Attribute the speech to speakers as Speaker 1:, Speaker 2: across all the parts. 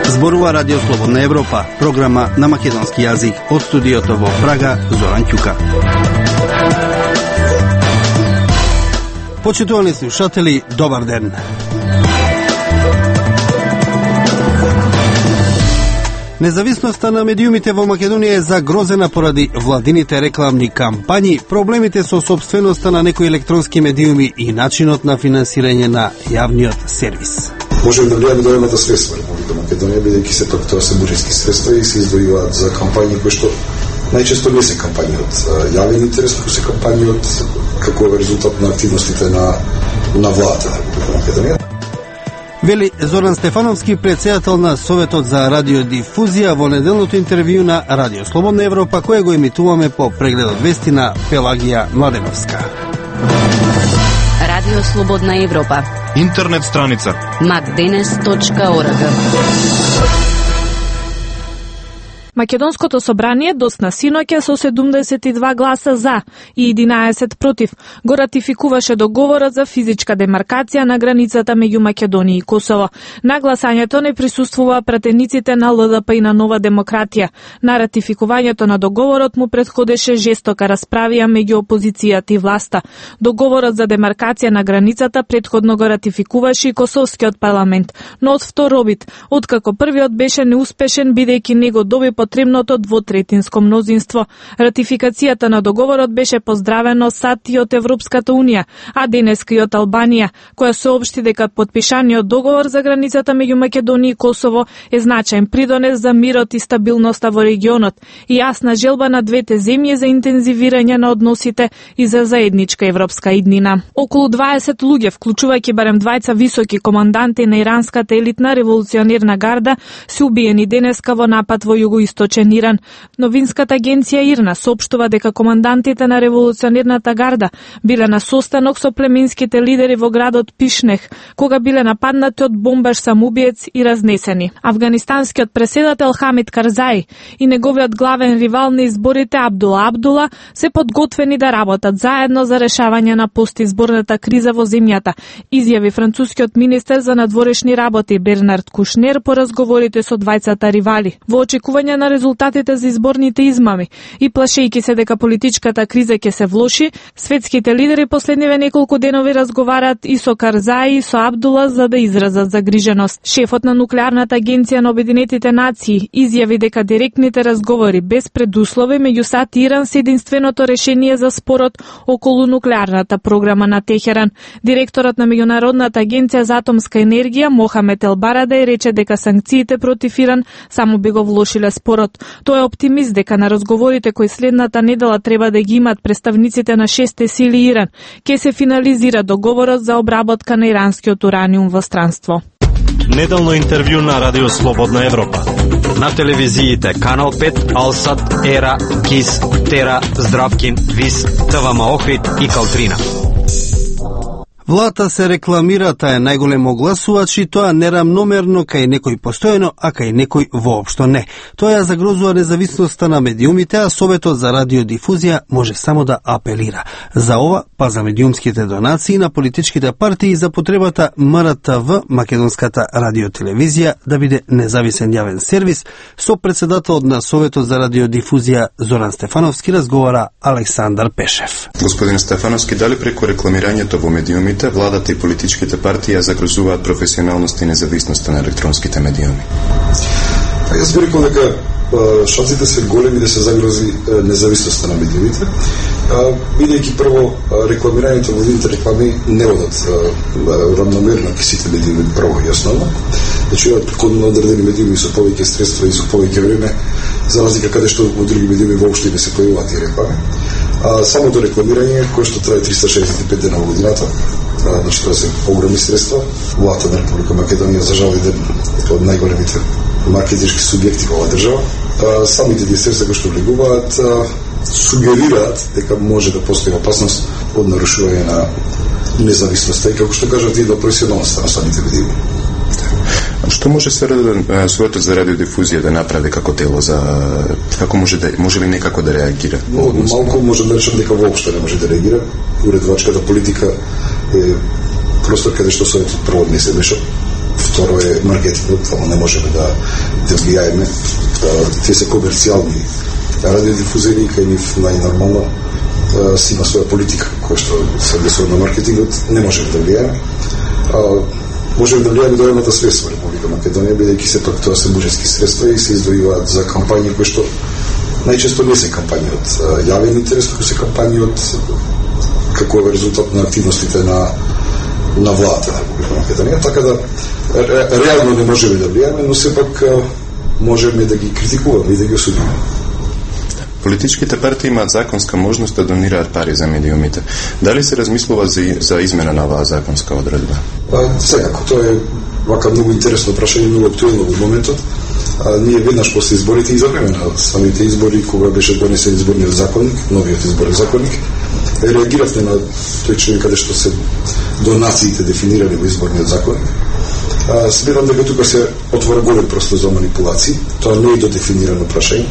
Speaker 1: Зборува Радио Слободна Европа, програма на македонски јазик од студиото во Прага, Зоран Ќука. Почитувани слушатели, добар ден. Независноста на медиумите во Македонија е загрозена поради владините рекламни кампањи, проблемите со собственоста на некои електронски медиуми и начинот на финансирање на јавниот сервис.
Speaker 2: Можеме да влијаме до едната средства Република Македонија, бидејќи се пак тоа се буџетски средства и се издвојуваат за кампањи кои што најчесто не се кампањи од јавен интерес, туку се кампањи од како резултат на активностите на владата на Република Македонија.
Speaker 1: Вели Зоран Стефановски, председател на Советот за радиодифузија во неделното интервју на Радио Слободна Европа, кое го емитуваме по прегледот вести на Пелагија Младеновска.
Speaker 3: Радио Слободна Европа.
Speaker 4: Интернет страница
Speaker 3: maddenes.org.
Speaker 5: Македонското собрание досна синоќа со 72 гласа за и 11 против го ратификуваше договорот за физичка демаркација на границата меѓу Македонија и Косово. На гласањето не присуствува пратениците на ЛДП и на Нова демократија. На ратификувањето на договорот му претходеше жестока расправија меѓу опозицијата и власта. Договорот за демаркација на границата претходно го ратификуваше и Косовскиот парламент, но од втор вид, откако првиот беше неуспешен бидејќи не го доби потребното двотретинско мнозинство. Ратификацијата на договорот беше поздравено сад и од Европската Унија, а денеска и од Албанија, која соопшти дека потпишаниот договор за границата меѓу Македонија и Косово е значаен придонес за мирот и стабилноста во регионот и јасна желба на двете земји за интензивирање на односите и за заедничка европска иднина. Околу 20 луѓе, вклучувајќи барем двајца високи команданти на иранската елитна револуционерна гарда, се убиени денеска во напад во југоисточен Иран. Новинската агенција ИРНА соопштува дека командантите на револуционерната гарда биле на состанок со племенските лидери во градот Пишнех, кога биле нападнати од бомбаш самоубиец и разнесени. Афганистанскиот преседател Хамид Карзаи и неговиот главен ривал на изборите Абдула Абдула се подготвени да работат заедно за решавање на постизборната криза во земјата, изјави францускиот министер за надворешни работи Бернард Кушнер по разговорите со двајцата ривали. Во очекување на резултатите за изборните измами и плашејќи се дека политичката криза ќе се влоши, светските лидери последниве неколку денови разговараат и со Карзаи и со Абдула за да изразат загриженост. Шефот на нуклеарната агенција на Обединетите нации изјави дека директните разговори без предуслови меѓу САД и Иран се единственото решение за спорот околу нуклеарната програма на Техеран. Директорот на Меѓународната агенција за атомска енергија Мохамед Елбарадај рече дека санкциите против Иран само би го влошиле спорот. Тој е оптимист дека на разговорите кои следната недела треба да ги имат представниците на 6 сили Иран, ќе се финализира договорот за обработка на иранскиот ураниум во странство.
Speaker 4: Неделно интервју на Радио Слободна Европа.
Speaker 6: На телевизиите Канал 5, Алсат, Ера, Кис, Тера, Здравкин, Вис, ТВМ Охрид и Калтрина.
Speaker 1: Владата се рекламира, таа е најголем огласувач и тоа нерамномерно кај некој постојано, а кај некој воопшто не. Тоа ја загрозува независноста на медиумите, а Советот за радиодифузија може само да апелира. За ова, па за медиумските донации на политичките партии и за потребата МРТВ, Македонската радиотелевизија, да биде независен јавен сервис, со председателот на Советот за радиодифузија Зоран Стефановски разговара Александар Пешев.
Speaker 7: Господин Стефановски, дали преку рекламирањето во медиумите владата и политичките партии загрозуваат професионалноста и независноста на електронските медиуми?
Speaker 2: Јас би рекол дека шансите се големи да се загрози независноста на медиумите, бидејќи прво рекламирањето во видите реклами не одат равномерно ки сите медиуми прво и основно. Значи кон одредени медиуми со повеќе средства и со повеќе време, за разлика каде што во други медиуми воопшто не се појавуваат тие реклами. Самото рекламирање кое што трае 365 дена во годината, значи тоа се огромни средства. Владата на Република Македонија за жал е од најголемите маркетиншки субјекти во оваа држава. Самите тие средства кои што влегуваат сугерираат дека може да постои опасност од нарушување на независноста и, како што кажат, и до професионалноста на самите медиуми.
Speaker 7: Што може Советот за радиодифузија да направи како тело за како може ли некако да реагира?
Speaker 2: Малку може да речем дека воопшто не може да реагира. Уредувачката политика е простор каде што Советот прво не се меша. Второ е маркетингот, само не можеме да влијаеме. Тие се комерцијални радиодифузери, кај нив најнормално си има своја политика која што се однесува на маркетингот, не можеме да влијаеме. Можеме да влијаеме до едната средства во Република Македонија, бидејќи сепак тоа се буџетски средства и се издвојуваат за кампањи кои што најчесто не се кампањи од јавен интерес, туку се кампањи од како е резултат на активностите на владата на Република Македонија, така да реално не можеме да влијаеме, но сепак можеме да ги критикуваме и да ги осудиме.
Speaker 7: Политичките партии имаат законска можност да донираат пари за медиумите. Дали се размислува за измена на оваа законска одредба?
Speaker 2: Секако, тоа е вака многу интересно прашање, многу актуелно во моментот. Ние веднаш после изборите и за време на самите избори, кога беше донесен изборниот законник, новиот изборен законник, реагиравме на тој член каде што се донациите дефинирани во изборниот законник. Сметам дека тука се отвора голем простор за манипулации. Тоа не е додефинирано прашање.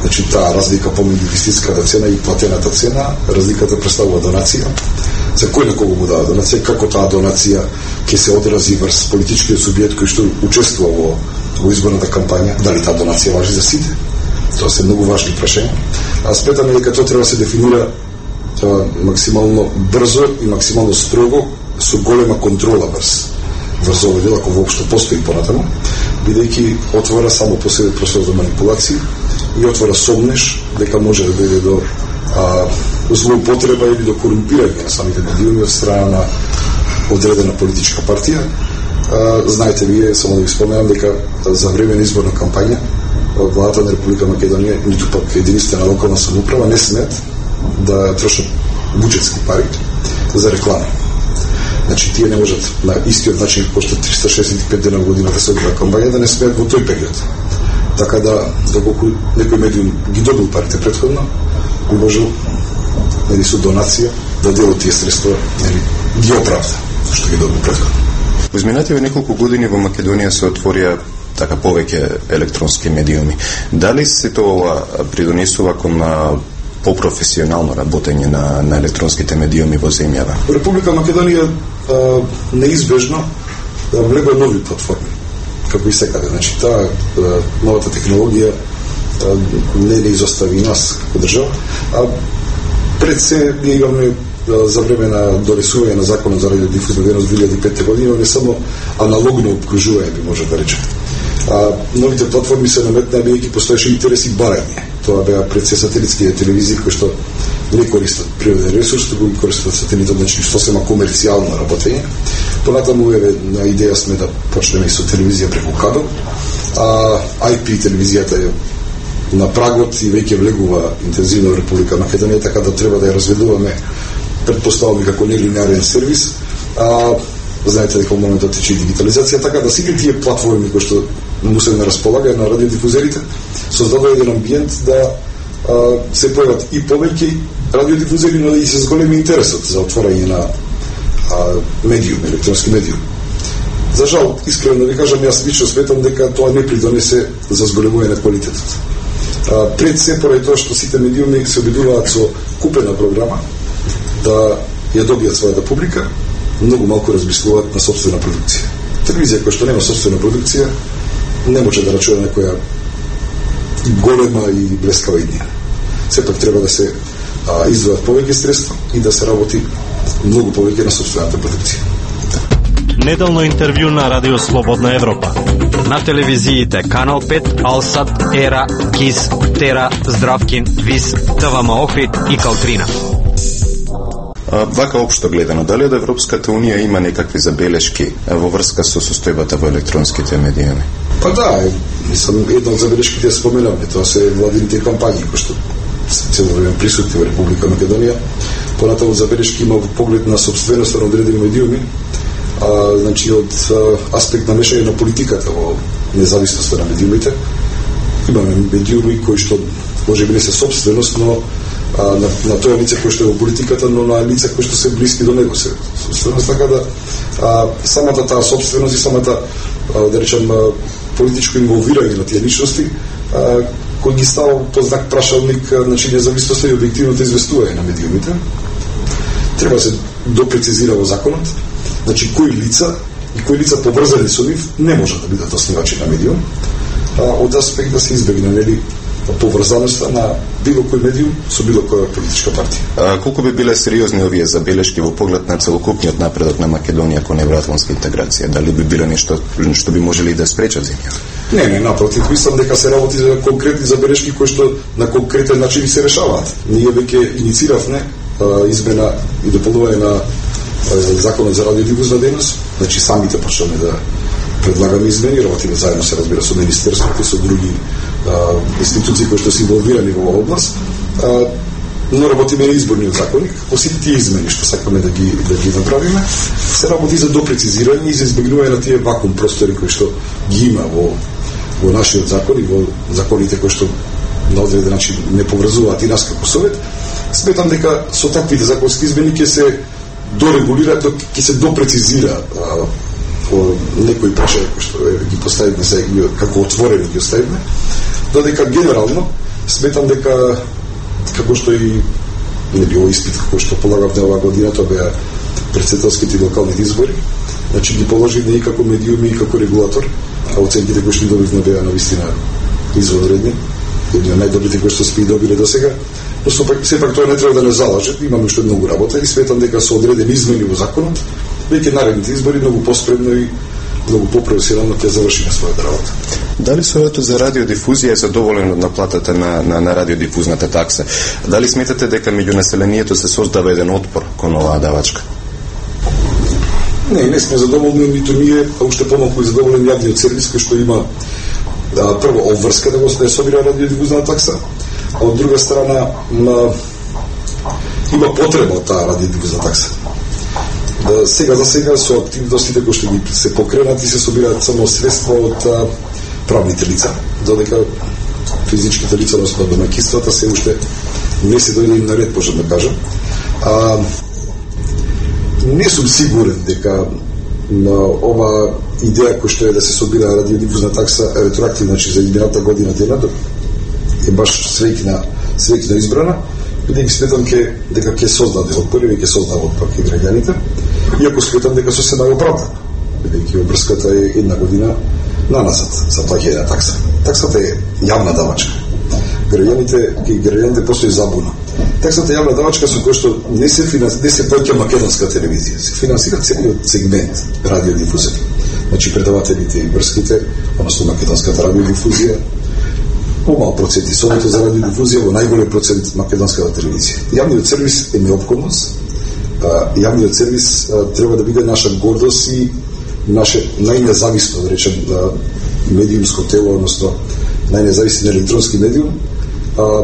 Speaker 2: Значи, таа разлика помеѓу вистинската цена и платената цена, разликата представува донација. За кој на кого му дава донација, како таа донација ќе се одрази врз политичкиот субјект кој што учествува во изборната кампања, дали таа донација важи за сите? Тоа се многу важни прашања. Сметаме дека тоа треба да се дефинира максимално брзо и максимално строго, со голема контрола врз овој дел, ако воопшто постои понатаму, бидејќи отвора само по себе простор за манипулации и отвора сомнеш дека може да дојде до злоупотреба или до корумпирање на самите медиуми од страна на одредена политичка партија. Знаете вие, само да ви споменам, дека за време на изборна кампања владата на Република Македонија, ниту пак единствена локална самоуправа не смеат да трошат буџетски пари за реклама. Значи, тие не можат на истиот начин како што 365 дена во годината се одржува кампања да не смеат во тој период. Така да, доколку некој медиум ги добил парите претходно, би можел со донација да дел од тие средства ги оправда што ги добил претходно.
Speaker 7: Во изминативе неколку години во Македонија се отворија така повеќе електронски медиуми. Дали се тоа придонесува кон попрофесионално работење на електронските медиуми во земјава?
Speaker 2: Република Македонија неизбежно влегува нови платформи, како и секаде. Значи, таа новата технологија не изостави нас како држава, а пред се ние имаме за време на донесување на законот за радиодифузна дејност 2005 година, имаме само аналогно обкружување, би може да речеме. Новите платформи се наметнаа бидејќи постоеше интерес и барање. Тоа беа пред се сателитските телевизии кои што не користат природен ресурс, туку ги користат сателитот, значи сосема комерцијално работење. Понатаму на идеја сме да почнеме и со телевизија преку кабел, IP телевизијата е на прагот и веќе влегува интензивно во Република Македонија, така да треба да ја разведуваме, предпоставуваме како нелинеарен сервис. Знаете дека во моментот тече дигитализација, така да сите тие платформи кои што му се на располагање на радиодифузерите создадува еден амбиент да се појават и повеќе радиодифузери, но и се зголеми интересот за отворање на медиум, електронски медиум. За жал, искрено ви кажам, јас лично сметам дека тоа не придонесе за зголемување на квалитетот. Пред се, поради тоа што сите медиуми се обидуваат со купена програма да ја добијат својата публика, многу малку размислуваат на собствена продукција. Телевизија која што нема собствена продукција не може да рачува некоја голема и блескава идеја. Сепак треба да се издвојат повеќе средства и да се работи многу повеќе на собствената продукција.
Speaker 4: Неделно интервју на Радио Слободна Европа.
Speaker 6: На телевизиите Канал 5, Алсат, Ера, Кис, Тера, Здравкин, Вис, ТВМ Охрид и Калтрина.
Speaker 7: Вака општо гледано, дали од Европската Унија има некакви забелешки во врска со состојбата во електронските медиуми?
Speaker 2: Па да, мислам, една од забелешките споменавме, тоа се владините кампањи кои што се цело време присутни во Република Македонија. Понатаму забелешки има во поглед на собственоста на одредени медиуми, значи од аспект на мешање на политиката во независноста на медиумите. Имаме медиуми кои што можеби не се собственост, но на тоа лице кој што е во политиката, но на лица кои што се блиски до него се собственост, така да самата таа собственост и самата да речем, политичко инволвирање на тие личности, кој ги става под знак прашалник, значи независноста и објективното известување на медиумите. Треба се допрецизира во законот, значи кои лица поврзани со нив не можат да бидат основачи на медиум, од аспект да се избегне, нели, поврзаноста на било кој медиум со било која политичка партија.
Speaker 7: Колку би биле сериозни овие забелешки во поглед на целокупниот напредок на Македонија кон евроатлантска интеграција? Дали би биле нешто што би можели да спречат земја?
Speaker 2: Не, напротив, мислам дека се работи за конкретни забелешки кои што на конкретен начин се решаваат. Ние веќе иницииравме измена и дополнување на законот за радиодифузна дейност, значи самите почнеме да предлагаме измени, работиме заедно се разбира со министерството и со други институции кои што се инволвирани во оваа област, но работиме на изборниот законник. По сите тие измени што сакаме да ги направиме, се работи за допрецизирање и за избегнување на тие вакуум простори кои што ги има во нашиот закон и во законите кои што на одреден начин не поврзуваат и нас како Совет. Сметам дека со таквите законски измени ќе се дорегулира, ќе се допрецизира некои прашања кои што ги поставиме се како отворени ги оставиме, додека генерално сметам дека како што и не било испит кој што полагавме оваа година, тоа беа претседателските и локалните избори, значи ги положивме и како медиуми и како регулатор, а оценките кои што добивме беа навистина извонредни, едни од најдобрите кои што сме добиле досега, но сепак тоа не треба да не залаже, имаме уште многу работа и сметам дека со одредени измени во законот веќе наредните избори многу поспредно и многу попрофесионално ќе завршиме својата работа.
Speaker 7: Дали Советот за радиодифузија е задоволен од наплатата на радиодифузната такса? Дали сметате дека меѓу населението се создава еден отпор кон оваа давачка?
Speaker 2: Не сме задоволни, ниту ние, а уште помалку задоволен јавниот сервис кој што има прво обврска да го собира радиодифузна такса, а од друга страна има потреба од таа радиодифузна такса. Сега за сега со активностите кои што ги се покренати се собираат само средства од правните лица, додека физичките лица, односно домаќинствата, се уште не се дојде на ред, можам да кажам. Не сум сигурен дека ова идеја која што е да се собира радиодифузна такса ретроактивно, значи за измината година денат, е баш свеќна избрана, бидејќи сметам дека ќе создаде отпор и ќе создава отпор кај граѓаните, иако сметам дека со се наоправдано, бидејќи обврската е една година наназад за плаќање на такса. Таксата е јавна давачка. Граѓаните постои забуна. Таксата е јавна давачка со која што не се плаќа македонска телевизија, се финансира целиот сегмент радиодифузија. Значи предавателите и врските, односно македонската радиодифузија, помал процент и Советот за радиодифузија, во најголем процент македонската телевизија. Јавниот сервис е неопходност. Јавниот сервис треба да биде наша гордост и наше најнезависно, да речем, медиумско тело, односно најнезависен електронски медиум,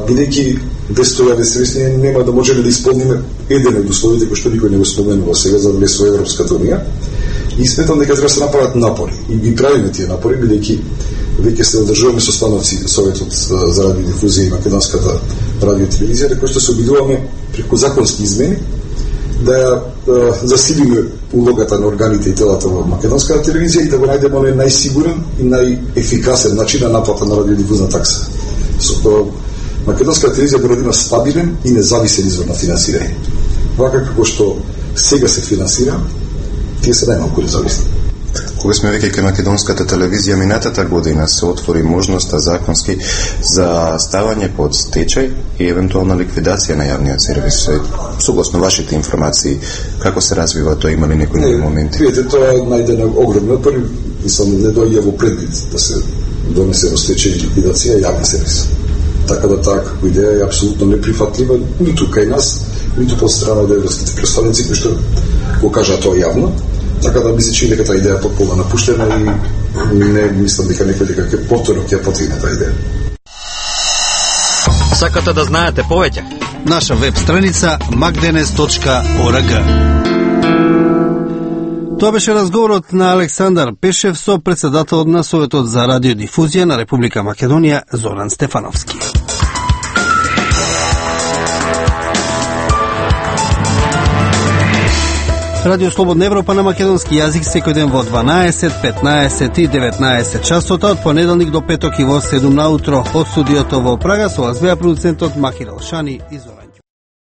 Speaker 2: бидејќи без тоа сервис ние нема да можеме да исполниме еден од условите кои што никој не го споменува сега за влез во Европската унија. И сметам дека треба да се направат напори и ги правиме тие напори, бидејќи веќе се одржуваме состаноци Советот за радиодифузија и македонската радиотелевизија, кои што се обидуваме преку законски измени да засилиме улогата на органите и телата во македонската телевизија и да го најдеме оној најсигурен и најефикасен начин на наплата на радиодифузна такса. Со тоа македонската телевизија мора да има стабилен и независен извор на финансирање. Вака како што сега се финансира, тие се најмалку независни.
Speaker 7: Кога сме веќе кај македонската телевизија, минатата година се отвори можноста законски за ставање под стечај и евентуална ликвидација на јавниот сервис. Согласно вашите информации, како се развива тоа, има ли некои нови моменти?
Speaker 2: Видите, тоа најде на огромни отпори, мислам, не дојде во предвид да се донесе во стечај и ликвидација јавен сервис. Така да таа како идеја е апсолутно неприфатлива, ниту кај нас, ниту под страна од европските представници кои што го кажа тоа јавно. Така да мислам дека таа идеја е потполно напуштена и не мислам дека некој дека ќе повторно ќе потигне таа идеја.
Speaker 6: Сакате да знаете повеќе?
Speaker 1: Наша веб страница magdenes.org. Тоа беше разговорот на Александар Пешев со председателот на Советот за радиодифузија на Република Македонија Зоран Стефановски. Радио Слободна Европа на македонски јазик секој ден во 12, 15 и 19 часота од понеделник до петок и во 7 наутро од студиото во Прага со вас беа продуцентот Махир Алшани и Зоран